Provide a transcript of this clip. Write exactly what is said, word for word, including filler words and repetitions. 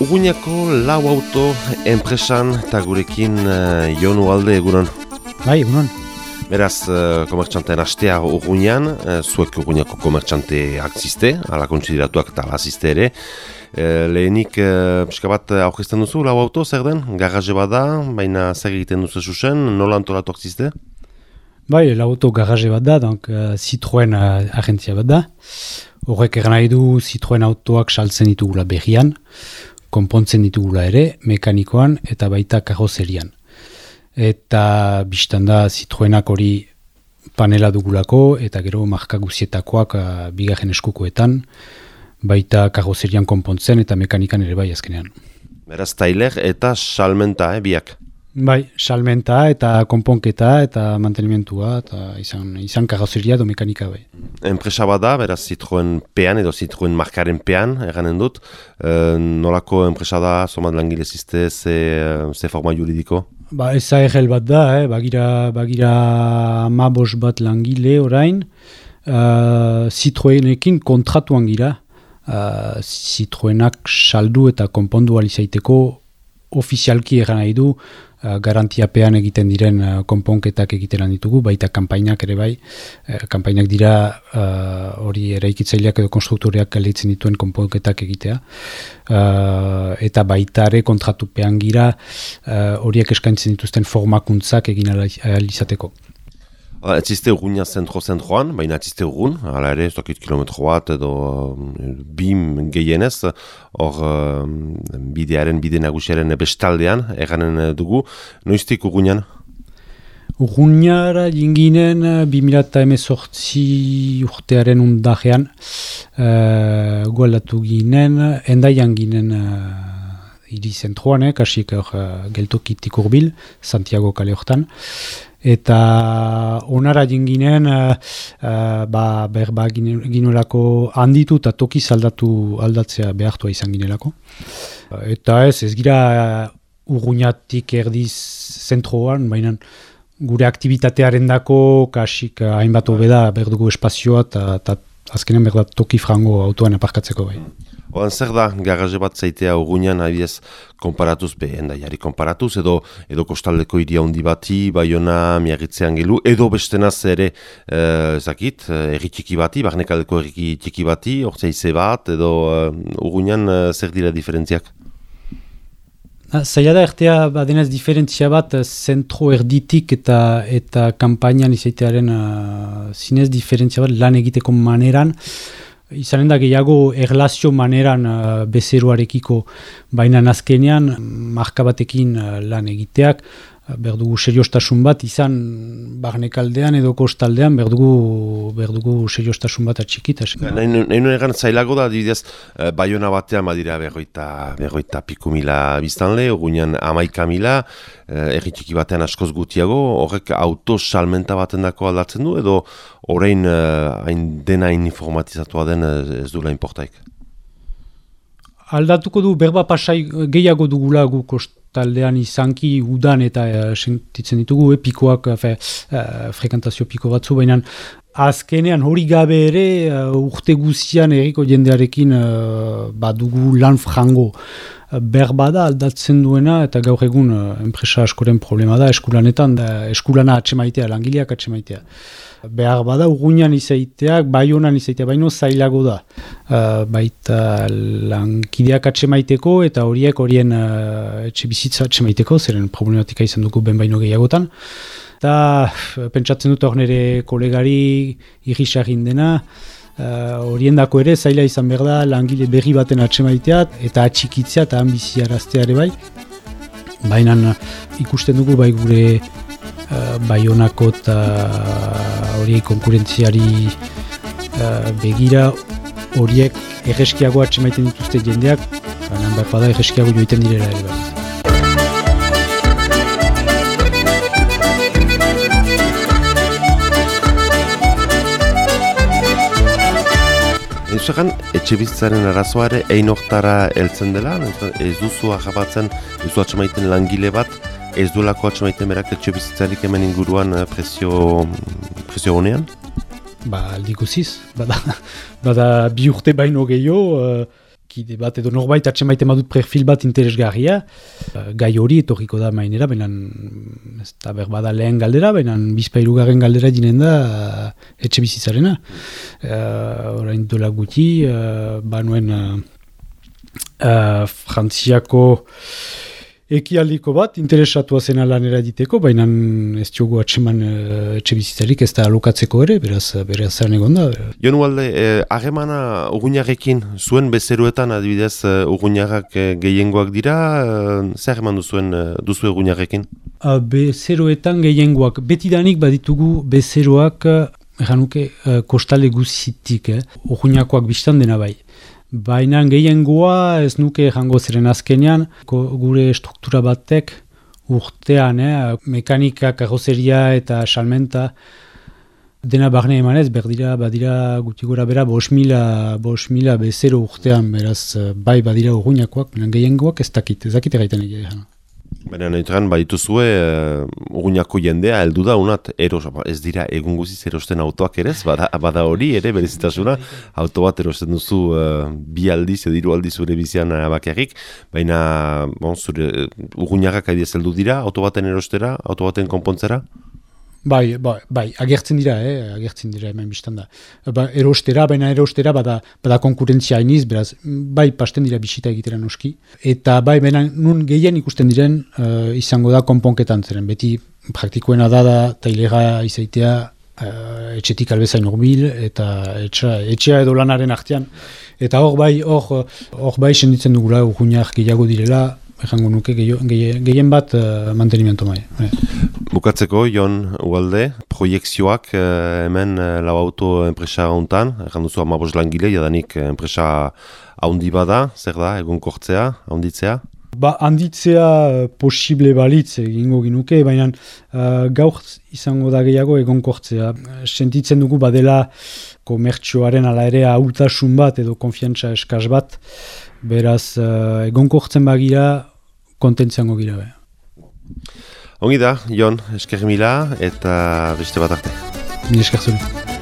Urruñako lau auto enpresan eta gurekin uh, Jon Ugalde egunon. Bai, egunon. Beraz, uh, komertxanteen astea Urruñan, uh, zuek Urruñako komertxanteak ziste, ala kontsideratuak eta ala ziste ere. Uh, lehenik, uh, pixka bat aurkezten duzu, lau auto, zer den? Garraje bat da, baina zer egiten duzu zuzen, nola antolatuak ziste? Bai, lau auto garraje bat da, donc uh, Citroen uh, agentzia bat da. Horrek eran nahi du Citroen autoak saltzen ditugula berrian, konpontzen ditugula ere, mekanikoan eta baita karrozerian. Eta biztan da Citroenak hori panela dugulako eta gero marka guzietakoak uh, bigarren eskukoetan, baita karrozerian konpontzen eta mekanikan ere bai azkenean. Beraz, tailer eta salmenta, eh, biak? Bai, salmenta eta konponketa eta mantenimentua eta izan, izan karrozeria edo mekanika bai. Enpresa bat da, beraz Citroen pean edo Citroen markaren pean, eranen dut. E, nolako enpresa da, somat langile ziste, ze, ze forma juridiko? Ba, ez A R L bat da, eh? bagira, bagira amabos bat langile orain. Uh, Citroenekin kontratuan gira. Uh, Citroenak saldu eta konpondu alizaiteko ofizialki eran nahi du, uh, garantiapean egiten diren uh, konponketak egiten ditugu, baita kanpainak ere bai, uh, kanpainak dira hori uh, eraikitzaileak edo konstruktoreak galditzen dituen konponketak egitea, uh, eta baita ere kontratupean gira horiek uh, eskaintzen dituzten formakuntzak egin alizateko. Ez ziste Urruña zentro-zentroan, baina ez ziste Urrun, hala ere, ez dakit kilometro bat edo bim gehienez, hor uh, bidearen, bide nagusiaren bestaldean, erranen dugu. Noiztik Urruñan? Urruñara jinginen bi mila hemezortzi urtearen undajean, uh, gualdatu ginen, endaian ginen uh, hiri zentroan, eh, kasik uh, geltokitik urbil, Santiago kale hortan. Eta onara jinginen, uh, uh, ba, berba ginelako handitu eta toki aldatu aldatzea behartua izan ginelako. Uh, eta ez, ez gira uh, Urruñatik erdiz zentroan, baina gure aktivitatearen dako kasik uh, hainbat hobeda berdugu espazioa eta azkenean berda toki frango autoan aparkatzeko bai. Oan zer da, garraje bat zaitea Urruñan abiez konparatuz, be, endaiari konparatuz, edo, edo kostaldeko iria handi bati, Baiona, Miarritzean gelu, edo bestenaz ere, eh, ezakit, erri txiki bati, barnekaldeko erri txiki bati, ortsaize bat, edo uh, Urruñan uh, zer dira diferentziak? Zaila da ertea badenez diferentzia bat zentro erditik eta eta kanpainan izaitearen uh, zinez diferentzia bat lan egiteko maneran. Izanen da gehiago erlazio maneran uh, bezeroarekiko, baina azkenean marka batekin uh, lan egiteak, uh, berdugu seriostasun bat izan barnekaldean edo kostaldean berdugu, berdugu seriostasun bat atxikita. Nahi nuen egan zailago da, adibidez, uh, Baiona batean badira berroita, berroita piku mila biztanle, Urruñan amaika mila, uh, erri txiki batean askoz gutiago, horrek auto salmenta baten dako aldatzen du, edo orain hain uh, dena hain informatizatua den ez du lain portaik? Aldatuko du berba pasai gehiago dugula gu kostaldean izanki udan eta uh, sentitzen ditugu, eh, pikoak, uh, uh, frekantazio piko batzu, baina azkenean hori gabe ere uh, urte guzian erriko jendearekin uh, badugu lan frango. Berba da aldatzen duena eta gaur egun uh, enpresa askoren problema da eskulanetan, da eskulana atxemaitea, langileak atxemaitea. Behar bada Urruñan izaiteak, Baionan izaitea, baino zailago da. Uh, baita lankideak atxemaiteko eta horiek horien uh, etxe bizitza atxemaiteko, zeren problematika izan dugu ben baino gehiagotan. Eta pentsatzen dut hor nire kolegari irrisagin dena, horien uh, dako ere zaila izan behar da langile berri baten atxemaiteat eta atxikitzea eta ambiziaraztea ere bai. Baina ikusten dugu bai gure Uh, Baionako eta horiek konkurentziari uh, begira horiek erreskiago atxemaiten dituzte jendeak, baina behar bada erreskiago joiten direla ere bai. Eusakan, etxe bizitzaren arazoa ere ein hortara heltzen dela, ez duzu ahabatzen, ez du atxemaiten langile bat, ez duelako atxemaiten berak etxe bizitzarik hemen inguruan presio, presio honean? Ba, aldi guziz, bada, bada bi urte baino gehiago, uh, kide bat edo norbait atxen baiten badut perfil bat interesgarria, gai hori etorriko da mainera, baina ez da berbada lehen galdera, baina bizpairugarren galdera dinen da uh, etxe bizitzarena. Uh, orain dola guti, uh, banuen uh, uh, Frantziako ekialdiko bat, interesatua zena lanera diteko, baina ez diogu atseman uh, etxe bizitzarik ez da alokatzeko ere, beraz, beraz zaren egon da. Jon Ugalde, harremana eh, urguñarrekin, zuen bezeroetan adibidez uh, urguñarrak uh, gehiengoak dira, uh, zer eman duzuen uh, duzu urguñarrekin? Uh, bezeroetan gehiengoak, betidanik baditugu bezeroak, erranuke, uh, kostale guzitik, eh? urguñakoak biztan dena bai. Baina gehiengoa ez nuke jango ziren azkenean, gure struktura batek urtean, eh, mekanika, karoseria eta salmenta dena barne emanez, berdira, badira guti gora bera, bos mila, bos mila bezero urtean, beraz, bai badira urguñakoak, gehiengoak ez dakit, ez dakit egiten egia. Baina nahitan, badituzue, uh, urguñako jendea heldu da, unat, eros, ez dira egun guziz erosten autoak ere, bada, bada hori ere, berezitasuna, auto bat erosten duzu uh, bi aldiz, edo hiru aldiz zure bizian bakarrik, baina bon, zure urguñarrak aidiez heldu dira, auto baten erostera, auto baten konpontzera? Bai, bai, bai, agertzen dira, eh, agertzen dira hemen biztan da. Ba, erostera, baina erostera bada, bada konkurentzia hainiz, beraz, bai, pasten dira bisita egitera noski. Eta bai, baina nun gehien ikusten diren uh, izango da konponketan zeren. Beti praktikoena da da tailera izaitea uh, etxetik albezain urbil eta etxa, etxea edo lanaren artean. Eta hor bai, hor, hor bai senditzen dugula urguñak gehiago direla, errango nuke gehien, gehien bat uh, mantenimiento mai. Eh. Bukatzeko, Jon Ugalde, proiekzioak eh, hemen eh, lau auto enpresa hontan, erran duzu amabos langile, jadanik enpresa haundi bada, zer da, egun kortzea, haunditzea? Ba, handitzea uh, posible balitz egingo ginuke, baina uh, gaur izango da gehiago egon kortzea. Sentitzen dugu badela komertxoaren ala ere ahultasun bat edo konfiantza eskaz bat, beraz uh, egon kortzen bagira kontentziango gira be. Ongi da, Jon, esker mila eta beste bat arte. Mil esker zuri.